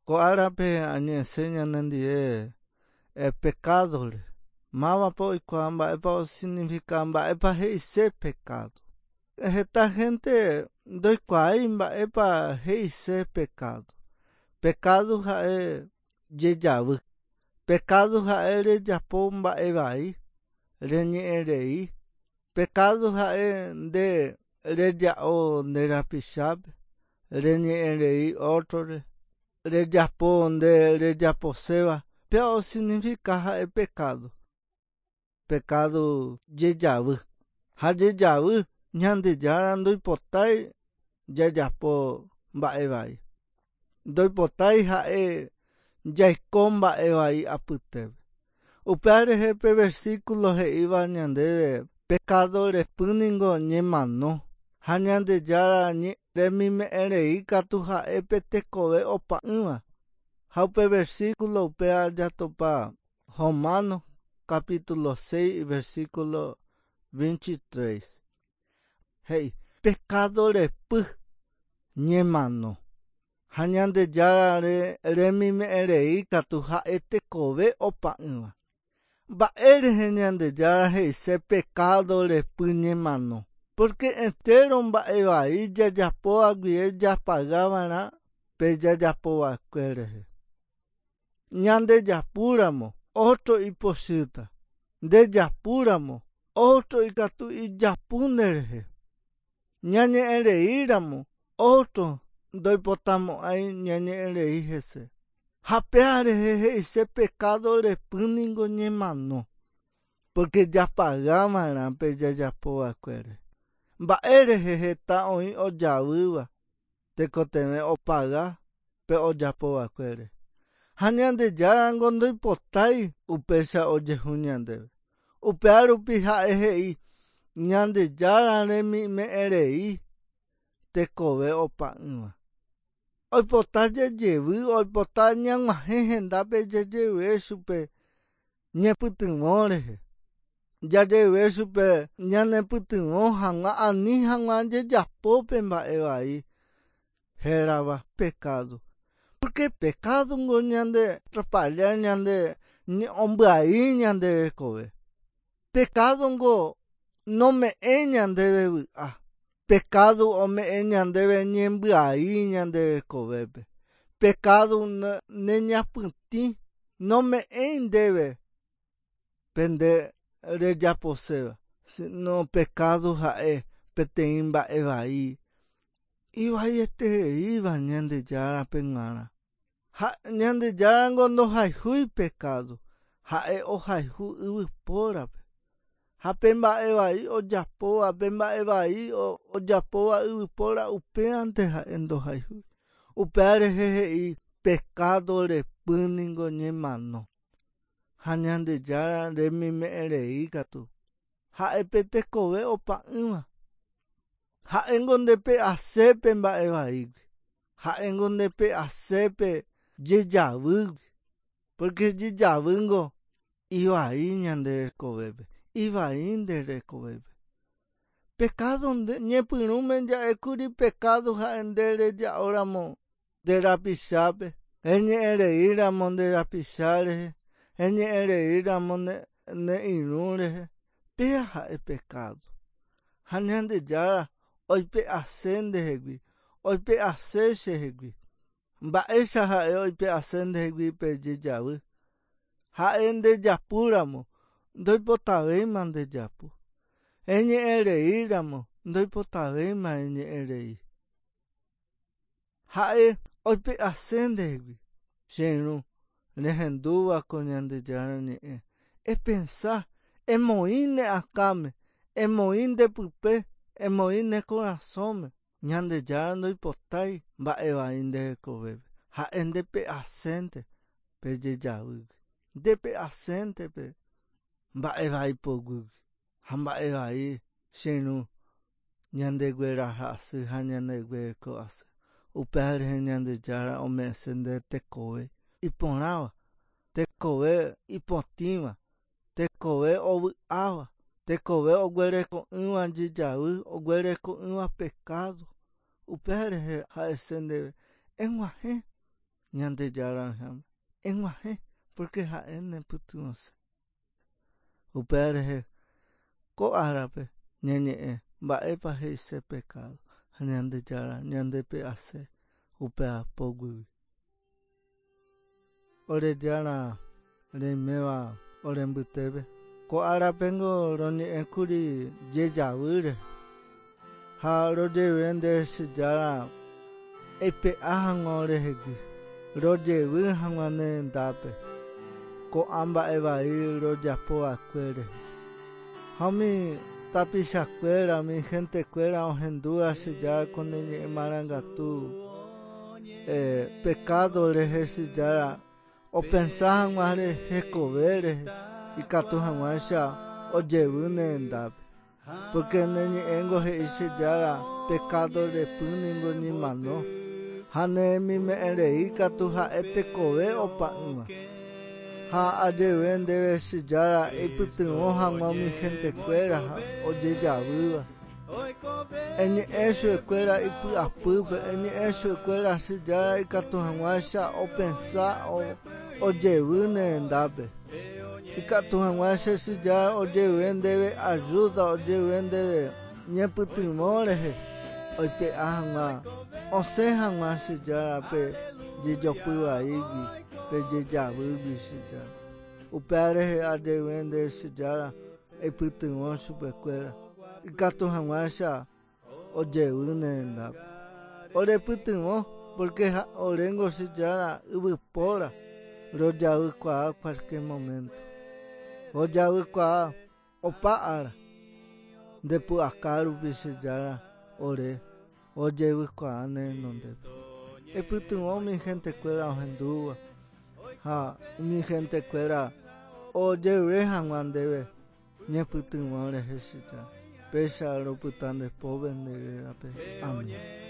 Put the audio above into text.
Ko árape añe'ẽse ñanendie pekádore. Mávapa oikuaa mba'épa osignifika mba'épa he'ise pekádo. Heta hénte ndoikuaái mba'épa he'ise pekádo. Pekádo ha'e jejavy. Pekádo ha'e rejapo mba'e vai, reñe'ẽ rei. Pekádo ha'e nde reja'o nde rapichápe, reñe'ẽ rei ótrore, rejapo nde rejaposéva, péva osignifika ha'e pekádo. Pekádo jejavy. Ha jejavy Ñandejára ndoipotái jajapo mba'e vai. Ndoipotái ha'e jaiko mba'e vai apytépe. Upéva rehe pe versículo he'íva ñandéve pekádo repy ningo ñemano, ha Ñandejára remime'ẽ rei katu ha'e pe tekove opa'ỹva. Ha upe versículo upéva jatopa Romanos capítulo 6 versículo 23. He'i, Pekádo repy ñemano, ha Ñandejára remime'ẽ rei katu ha'e tekove opa'ỹva. Mba'e rehe Ñandejára he'ise pekádo repy ñemano? Pórke entéro mba'e vai jajapóva guive japaga va'erã pe jajapo va'ekue rehe. Ñandejapúramo, ótro ipochýta. Ndejapúramo, ótro ikatu ijapu nderehe. Ñañe'ẽreíramo, ótro ndoipotamo'ãi ñañe'ẽrei hese. Ha péva rehe he'ise pekádo repy ningo ñemano, pórke japaga va'erã pe jajapo va'ekuére. Mba'e rehe heta oĩ ojavýva tekotevẽ opaga pe ojapo va'ekuére. Ha Ñandejárango ndoipotái upéicha ojehu ñandéve. Upéva rupi ha'e he'i, Ñandejára remime'ẽ rei tekove opa'ỹva. Oipota jajevy, oipota ñag̃uahẽ hendápe jajeve chupe ñepytyvõ rehe. Jajeve chupe ñanepytyvõ hag̃ua ani hag̃ua jajapo pe mba'e vai hérava pekádo. Pórke pekádongo ñande atrapalla, ñande ombyai ñande rekove. Pekádongo nome'ẽi ñandéve vy'a. Pekádo ome'ẽ ñandéve ñembyai ñande rekovépe. Pekádo neñapytĩ nome'ẽi ndéve pe nde rejaposéva, síno pekádo ha'e peteĩ mba'e vai ivaietereíva Ñandejárape g̃uarã. Ha Ñandejárango ndohayhúi pekádo, ha'e ohayhu yvypórape. Ha pe mba'e vai ojapóva, pe mba'e vai ojapóva yvypóra upévante ha'e ndohayhúi. Upéva rehe he'i pekádo repy ningo ñemano. Ha Ñandejára remime'ẽ rei katu, ha'e pe tekove opa'ỹva. Ha'éngo ndepe'ase pe mba'e vaígui. Ha'éngo ndepe'ase pe jejavýgui. Pórke jejavýngo ivai ñande rekovépe, ivai nde rekovépe. Pekádo nde ñepyrũme ja'ékuri pekádo ha'e nde reja'óramo nde rapichápe, reñe'ẽreíramo nde rapicha rehe, reñe'ẽreíramo ne irũ rehe, péa ha'e pekádo. Ha Ñandejára oipe'ase ndehegui, oipe'ase chehegui. Mba'éicha ha'e oipe'ase ndehegui pe jejavy? Ha'e ndejapúramo, ndoipotavéima ndejapu. Reñe'ẽreíramo, ndoipotavéima reñe'ẽrei. Ha'e oipe'ase ndehegui, che irũ, rehendúva ko Ñandejára Ñe'ẽ. Epensa, emoĩ ne akãme, emoĩ nde pype, emoĩ ne korasõme. Ñandejára ndoipotái mba'e vai nde rekovépe. Ha'e ndepe'asénte pe jejavýgui, ndepe'asénte pe mba'e vai poguýgui. Ha mba'e vai, che irũ, ñandegueraha asy ha ñandeguereko asy. Upéva rehe Ñandejára ome'ẽse nde tekove iporãva, tekove ipotĩva, tekove ovy'áva, tekove oguereko'ỹva jejavy, oguereko'ỹva pekádo. Upéva rehe ha'ese ndéve, Eg̃uahẽ. Ñandejára oĩháme. Eg̃uahẽ, pórke ha'e nepytyvõse. Upéva rehe ko árape ñañe'ẽ mba'épa he'ise pekádo ha Ñandejára ñandepe'ase upéva poguýgui. Ore Jára reiméva ore mbytépe. Ko árapengo roñe'ẽkuri jejavýre ha rojevy nde che Jára eipe'a hag̃ua orehegui, rojevy hag̃ua ne rendápe ko'ã mba'e vai rojapo va'ekue rehe. Ha umi tapichakuéra, umi hentekuéra ohendúva che Jára ko ne ñe'ẽ marangatu, pekádo rehe che Jára opensa hag̃ua hekove rehe ikatu hag̃uáicha ojevy ne rendápe. Pórke ne ñe'ẽngo he'i che Jára pekádo repy ningo ñemano, ha ne remime'ẽ rei katu ha'e tekove opa'ỹva. Ha ajeve ndéve che Jára eipytyvõ hag̃ua umi hentekuéra ha ojejavýva. Eñe'ẽ chupekuéra ipy'apýpe, eñe'ẽ chupekuéra che Jára ikatu hag̃uáicha opensa ojevy ne rendápe. Ikatu hag̃uáicha che Jára ojevy ndéve ajúda, ojevy ndéve ñepytyvõ rehe oipe'a hag̃ua, osẽ hag̃ua che Jára pe jejopy vaígui, pe jejavýgui che Jára. Upéva rehe ajevy ndéve che Jára eipytyvõ chupekuéra ikatu hag̃uáicha ojevy ne rendápe. Orepytyvõ pórke oréngo che Jára yvypóra rojavykuaa cualquier momento. Rojavykuaa opa ára. Nde pu'aka rupi che Jára ore rojevykuaa ne renondépe. Eipytyvõ umi hentekuéra ohendúva ha umi hentekuéra ojerure hag̃ua ndéve ñepytyvõ rehe che Jára. Péicha ropyta nde pópe nde rérape. Amén.